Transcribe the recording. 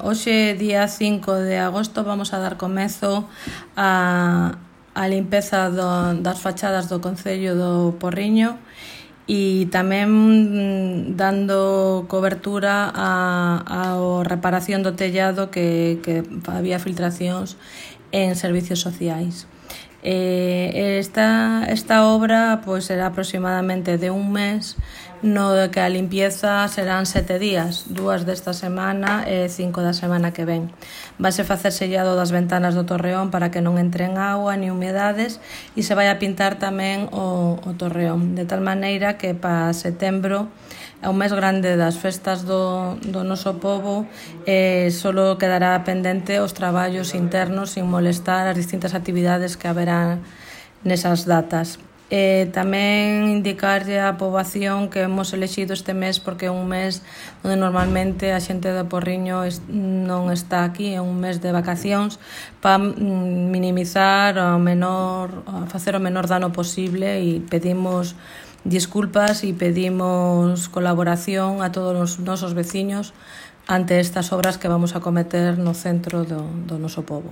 Hoxe, día 5 de agosto, vamos a dar comezo a limpeza das fachadas do Concello do Porriño e tamén dando cobertura a reparación do tellado que había filtracións en servicios sociais. Esta obra será aproximadamente de un mes, no que a limpieza serán 7 días, 2 desta semana e 5 da semana que ven. Vase facer sellado das ventanas do torreón para que non entren auga ni humedades e se vai a pintar tamén o torreón, de tal maneira que para setembro, é o mes grande das festas do noso pobo, solo quedará pendente os traballos internos sin molestar as distintas actividades que haberá nesas datas. Tamén indicarlle á poboación que hemos elexido este mes porque é un mes onde normalmente a xente do Porriño non está aquí, é un mes de vacacións, para minimizar facer o menor dano posible, e pedimos disculpas e pedimos colaboración a todos os nosos veciños ante estas obras que vamos a cometer no centro do noso pobo.